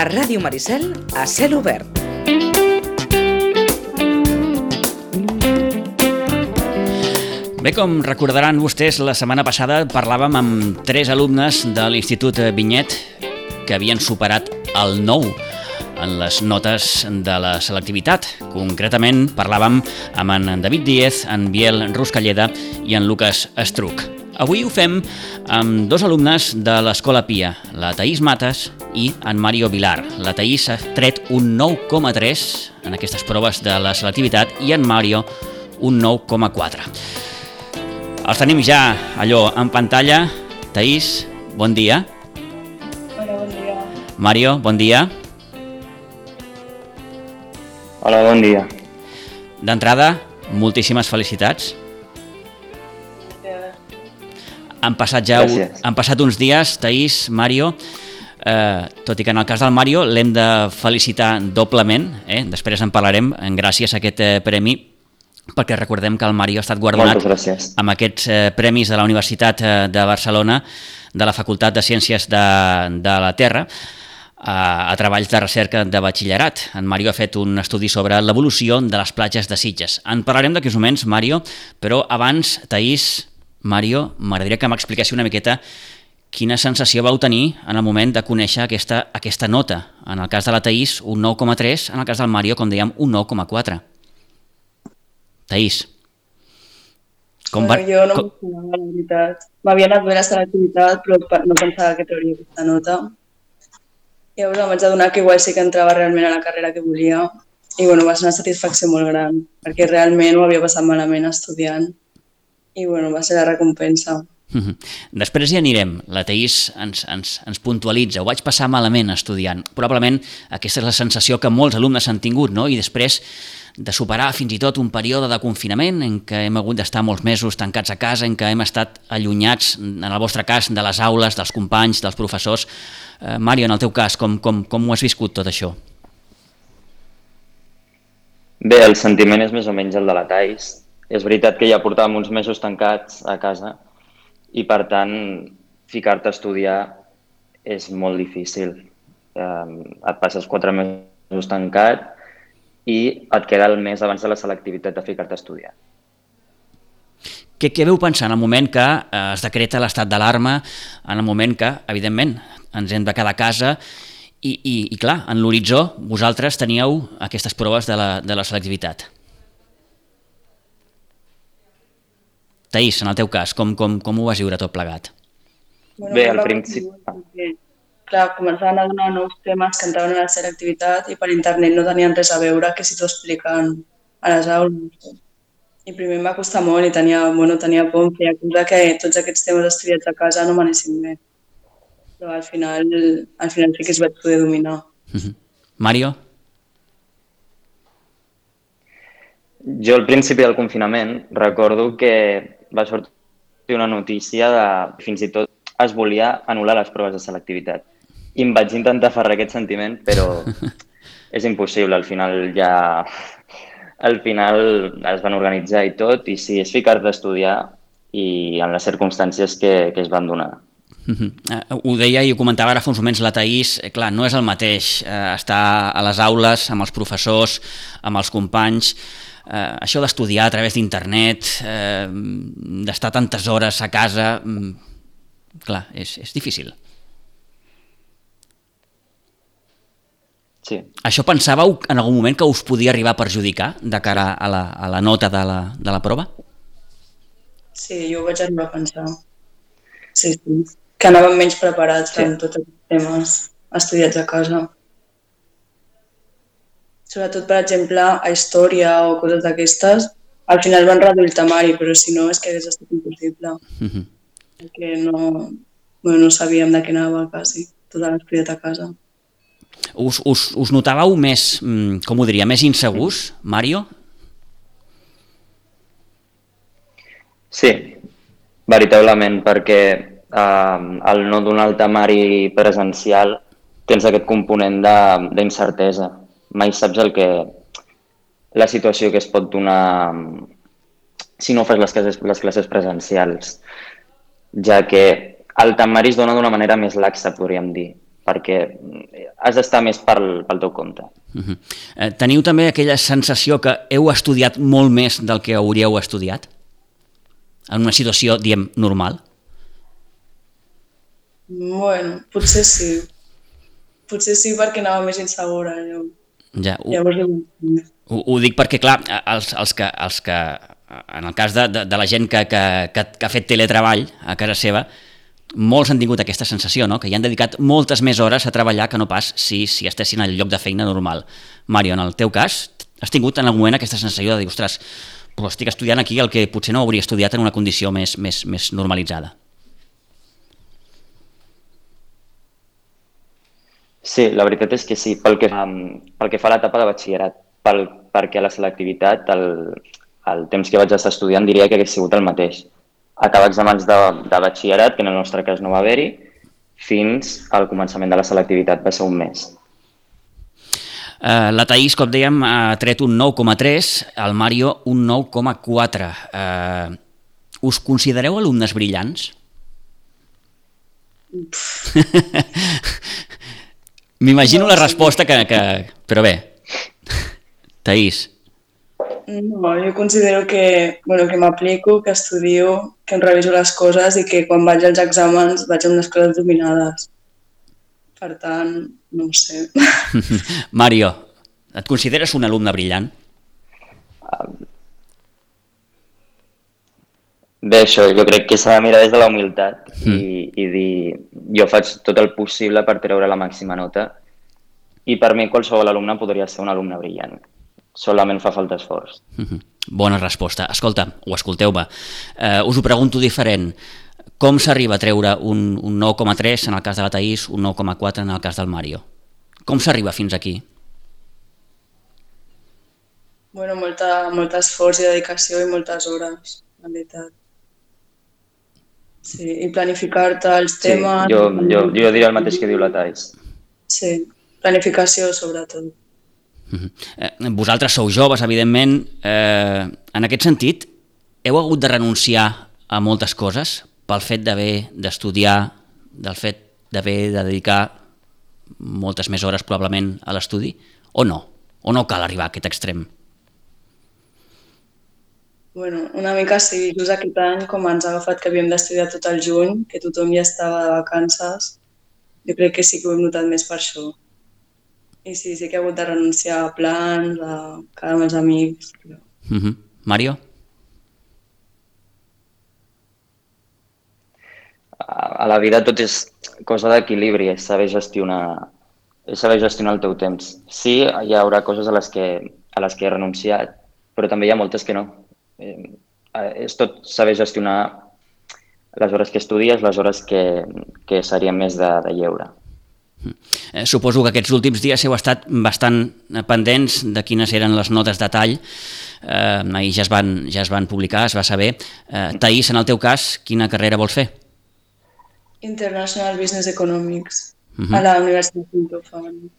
Ràdio Maricel a cel obert. Bé, com recordaran vostès, la setmana passada parlàvem amb 3 alumnes de l'Institut Vinyet que havien superat el 9 en les notes de la selectivitat. Concretament parlàvem amb en David Díez, en Biel Ruscalleda i en Lucas Estruc. Avui ho fem amb 2 alumnes de l'Escola Pia, la Taís Matas i en Mario Vilar. La Taís ha tret un 9,3 en aquestes proves de la selectivitat i en Mario un 9,4. Els tenim ja allò en pantalla. Taís, bon dia. Hola, bon dia. Mario, bon dia. Hola, bon dia. D'entrada, moltíssimes felicitats. Han passat uns dies, Taís, Mario, tot i que en el cas del Mario l'hem de felicitar doblement, després en parlarem, gràcies a aquest premi, perquè recordem que el Mario ha estat guardonat amb aquests premis de la Universitat de Barcelona, de la Facultat de Ciències de la Terra, a treballs de recerca de batxillerat. En Mario ha fet un estudi sobre l'evolució de les platges de Sitges. En parlarem d'aquí uns moments, Mario, però abans, Taís, Mario, m'agradaria que m'expliquessi una miqueta quina sensació vau tenir en el moment de conèixer aquesta nota. En el cas de la Taís, un 9,3, en el cas del Mario, com dèiem, un 9,4. Taís. Jo no m'esperava, la veritat. M'havia anat bé la selectivitat, però no pensava que trauria aquesta nota. Llavors em vaig adonar que igual sí que entrava realment a la carrera que volia i va ser una satisfacció molt gran, perquè realment ho havia passat malament estudiant i va ser la recompensa. Després hi anirem. La Taís ens puntualitza. Ho vaig passar malament estudiant. Probablement aquesta és la sensació que molts alumnes han tingut, no? I després de superar fins i tot un període de confinament en què hem hagut d'estar molts mesos tancats a casa, en què hem estat allunyats, en el vostre cas, de les aules, dels companys, dels professors. Mario, en el teu cas, com ho has viscut tot això? Bé, el sentiment és més o menys el de la Taís. És veritat que ja portàvem uns mesos tancats a casa i, per tant, ficar-te a estudiar és molt difícil. Et passes 4 mesos tancat i et queda el mes abans de la selectivitat de ficar-te a estudiar. Què veu pensar en el moment que es decreta l'estat d'alarma, en el moment que, evidentment, ens hem de quedar a casa i clar, en l'horitzó vosaltres teníeu aquestes proves de la selectivitat? Taís, en el teu cas, com ho vas viure tot plegat? Bé, al principi... Clar, començaven a donar nous temes que entraven a la selectivitat i per internet no tenien res a veure que si t'ho expliquen a les aules. I primer em va costar molt i tenia por, em feia cosa que tots aquests temes estudiats a casa no m'anessin bé. Però al final sí que es vaig poder dominar. Mario? Jo al principi del confinament recordo que va sortir una notícia de fins i tot es volia anul·lar les proves de selectivitat. I em vaig intentar aferrar aquest sentiment, però és impossible. Al final es van organitzar i tot, i sí, és ficar-te a estudiar i en les circumstàncies que es van donar. Ho deia i ho comentava ara fa uns moments la Taís, clar, no és el mateix estar a les aules amb els professors, amb els companys, això d'estudiar a través d'internet, d'estar tantes hores a casa, clar, és difícil. Sí. Això pensàveu en algun moment que us podia arribar a perjudicar de cara a la nota de la prova? Sí, jo ho vaig arribar a pensar. Sí, que anàvem menys preparats amb tots els temes estudiats a casa. Sobretot, per exemple, a història o coses d'aquestes, al final van reduir el temari, però si no és que hagués estat impossible. Perquè no sabíem de què anava quasi, tot l'estudiat a casa. Us notàveu més, com ho diria, més insegurs, Mario? Sí, veritablement, perquè al no donar el temari presencial tens aquest component d'incertesa. Mai saps la situació que es pot donar si no fas les classes presencials, ja que el temari es dona d'una manera més laxa, podríem dir, perquè has d'estar més pel teu compte. Teniu també aquella sensació que heu estudiat molt més del que hauríeu estudiat? En una situació, diem, normal? Bueno, potser sí. Potser sí perquè anava més insegura. Ja, ho dic perquè, clar, els que en el cas de la gent que ha fet teletreball a casa seva, molts han tingut aquesta sensació, no? Que hi han dedicat moltes més hores a treballar que no pas si estessin al lloc de feina normal. Mario, en el teu cas, has tingut en algun moment aquesta sensació de dir, ostres, però estic estudiant aquí el que potser no hauria estudiat en una condició més normalitzada? Sí, la veritat és que sí, pel que fa a l'etapa de batxillerat, perquè a la selectivitat el temps que vaig estar estudiant diria que hagués sigut el mateix. Acabar exàmens de batxillerat, que en el nostre cas no va haver-hi, fins al començament de la selectivitat, va ser un mes. La Thaís, com dèiem, ha tret un 9,3, el Mario un 9,4. Us considereu alumnes brillants? M'imagino la resposta però bé, Thaís. No, jo considero que m'aplico, que estudio, que em reviso les coses i que quan vaig als exàmens vaig amb les coses dominades. Per tant, no ho sé. Mario, et consideres un alumne brillant? Bé, això, jo crec que s'ha de mirar des de la humilitat i dir, jo faig tot el possible per treure la màxima nota i per mi qualsevol alumne podria ser un alumne brillant. Solament fa falta esforç. Bona resposta. Escolta, o escolteu-me, us ho pregunto diferent. Com s'arriba a treure un 9,3 en el cas de la Thaís, un 9,4 en el cas del Mario? Com s'arriba fins aquí? Bueno, molt esforç i dedicació i moltes hores, en veritat. Sí, i planificar-te els temes... Sí, jo diré el mateix que diu la Thaís. Sí, planificació sobretot. Vosaltres sou joves, evidentment. En aquest sentit, heu hagut de renunciar a moltes coses pel fet d'haver d'estudiar, del fet d'haver de dedicar moltes més hores probablement a l'estudi, o no? O no cal arribar a aquest extrem? Bueno, una mica sí, just aquest any, com ens ha agafat que havíem d'estudiar tot el juny, que tothom ja estava de vacances, jo crec que sí que ho hem notat més per això. I sí que he hagut de renunciar a plans, a quedar amb els amics. Mario? A la vida tot és cosa d'equilibri, és saber gestionar el teu temps. Sí, hi haurà coses a les que he renunciat, però també hi ha moltes que no. És tot saber gestionar les hores que estudies, les hores que serien més de lleure. Suposo que aquests últims dies heu estat bastant pendents de quines eren les notes de tall. Ahir ja es van publicar, es va saber. Thaís, en el teu cas, quina carrera vols fer? International Business Economics, a la Universitat de Pompeu.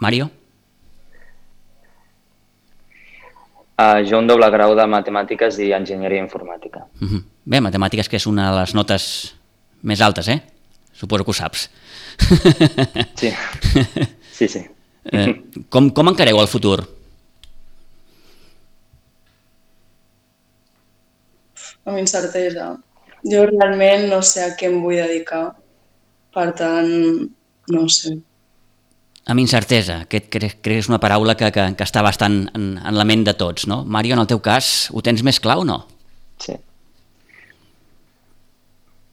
Mario? Jo un doble grau de Matemàtiques i Enginyeria Informàtica. Bé, Matemàtiques, que és una de les notes més altes, Suposo que ho saps. Sí. Com encareu el futur? Amb incertesa. Jo realment no sé a què em vull dedicar. Per tant, no sé. Amb incertesa, que crec que és una paraula que està bastant en la ment de tots, no? Mario, en el teu cas, ho tens més clar o no? Sí.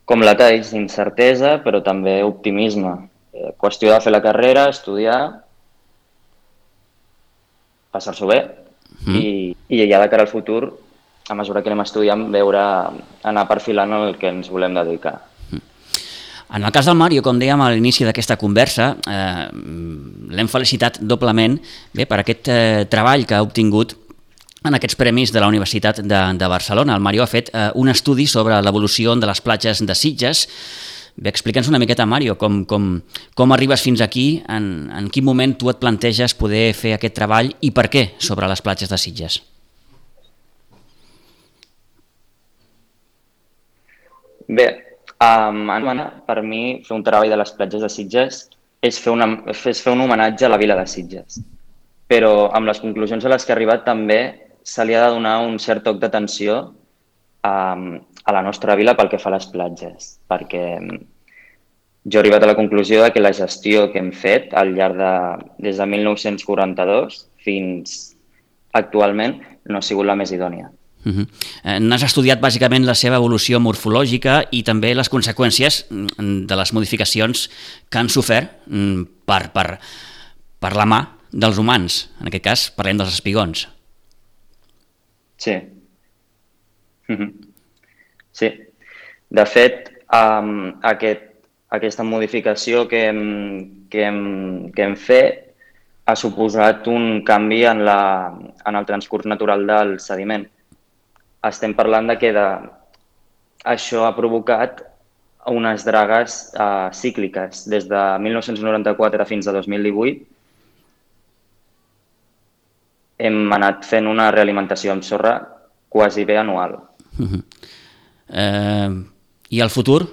Com la Thaís, incertesa, però també optimisme. Qüestió de fer la carrera, estudiar, passar-s'ho bé i ja de cara al futur, a mesura que anem estudiant, anar perfilant el que ens volem dedicar. En el cas del Mario, com dèiem a l'inici d'aquesta conversa, l'hem felicitat doblement per aquest treball que ha obtingut en aquests premis de la Universitat de Barcelona. El Mario ha fet un estudi sobre l'evolució de les platges de Sitges. Bé, explica'ns una miqueta, Mario, com arribes fins aquí, en quin moment tu et planteges poder fer aquest treball i per què sobre les platges de Sitges? Bé, Per mi, fer un treball de les platges de Sitges és fer un homenatge a la vila de Sitges. Però amb les conclusions a les que he arribat també se li ha de donar un cert toc d'atenció a la nostra vila pel que fa a les platges, perquè jo he arribat a la conclusió que la gestió que hem fet al llarg des de 1942 fins actualment no ha sigut la més idònia. N'has estudiat bàsicament la seva evolució morfològica i també les conseqüències de les modificacions que han sofert per la mà dels humans. En aquest cas parlem dels espigons. Sí. Sí. De fet, aquesta modificació que hem fet ha suposat un canvi en el transcurs natural del sediment. Estem parlant de que això ha provocat unes dragues cícliques. Des de 1994 fins a 2018 hem anat fent una realimentació amb sorra quasi bé anual. I el futur?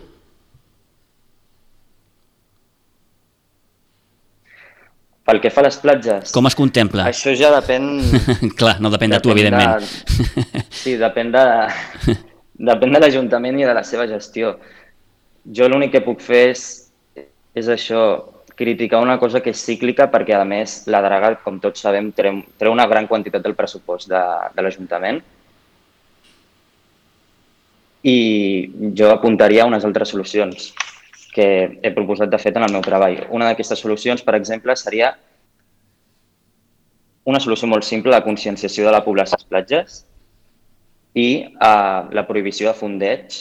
Pel que fa a les platges... Com es contempla? Això ja depèn... Clar, no depèn de tu, evidentment. Sí, depèn de l'Ajuntament i de la seva gestió. Jo l'únic que puc fer és això, criticar una cosa que és cíclica perquè, a més, la draga, com tots sabem, treu una gran quantitat del pressupost de l'Ajuntament i jo apuntaria a unes altres solucions que he proposat de fet en el meu treball. Una d'aquestes solucions, per exemple, seria una solució molt simple de conscienciació de la població a les platges i la prohibició de fondeig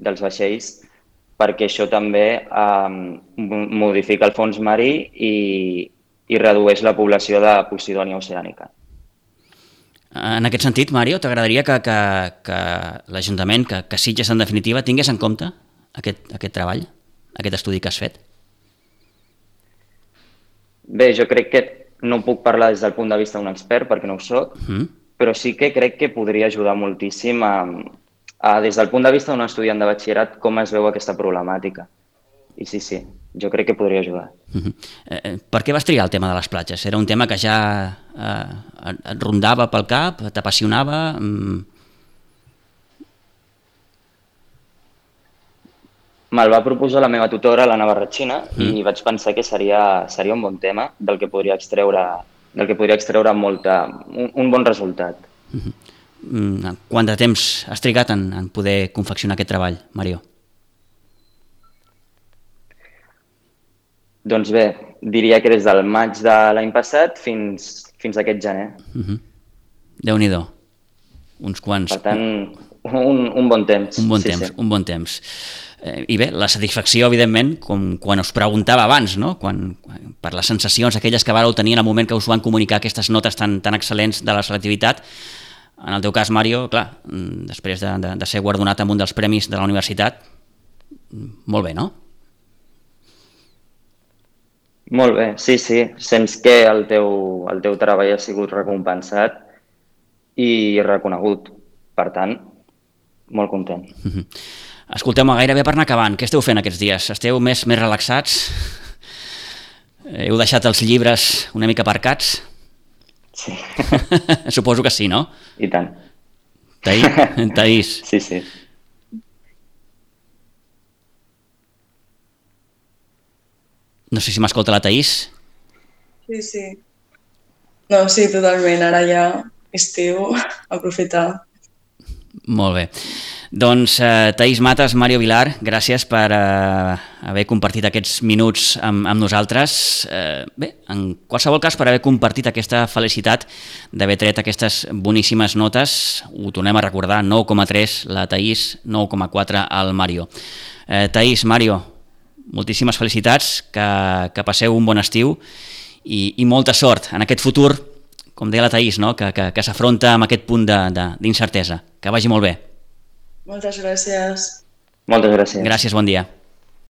dels vaixells, perquè això també modifica el fons marí i redueix la població de Posidònia oceànica. En aquest sentit, Mario, t'agradaria que l'Ajuntament, que Sitges en definitiva, tingués en compte aquest treball, aquest estudi que has fet? Bé, jo crec que no puc parlar des del punt de vista d'un expert, perquè no ho soc, però sí que crec que podria ajudar moltíssim des del punt de vista d'un estudiant de batxillerat, com es veu aquesta problemàtica. I sí, jo crec que podria ajudar. Per què vas triar el tema de les platges? Era un tema que ja et rondava pel cap, t'apassionava? Me'l va proposar la meva tutora, l'Anna Barratxina, i vaig pensar que seria un bon tema del que podria extreure un bon resultat. Quant de temps has trigat en poder confeccionar aquest treball, Mario? Doncs bé, diria que des del maig de l'any passat fins aquest gener. Déu-n'hi-do. Uns quants... Per tant, un bon temps. Un bon temps. I bé, la satisfacció, evidentment, com quan us preguntava abans, no? Per les sensacions aquelles que vareu tenir en el moment que us van comunicar aquestes notes tan excel·lents de la selectivitat. En el teu cas, Mario, clar, després de ser guardonat amb un dels premis de la universitat, molt bé, no? Molt bé, sí. Sents que el teu treball ha sigut recompensat i reconegut. Per tant, molt content. Escolteu-me, gairebé per anar acabant, què esteu fent aquests dies? Esteu més relaxats? Heu deixat els llibres una mica aparcats? Sí. Suposo que sí, no? I tant. Taís. Sí. No sé si m'escolta la Taís. Sí. No, sí, totalment. Ara ja estiu, aprofitar. Molt bé. Doncs Taís Matas, Mario Vilar, gràcies per haver compartit aquests minuts amb nosaltres. Bé, en qualsevol cas, per haver compartit aquesta felicitat d'haver tret aquestes boníssimes notes. Ho tornem a recordar, 9,3 la Taís, 9,4 el Mario. Taís, Mario, moltíssimes felicitats, que passeu un bon estiu i molta sort en aquest futur, com deia la Taís, no? que s'afronta amb aquest punt d'incertesa. Que vagi molt bé. Moltes gràcies. Moltes gràcies. Gràcies, bon dia.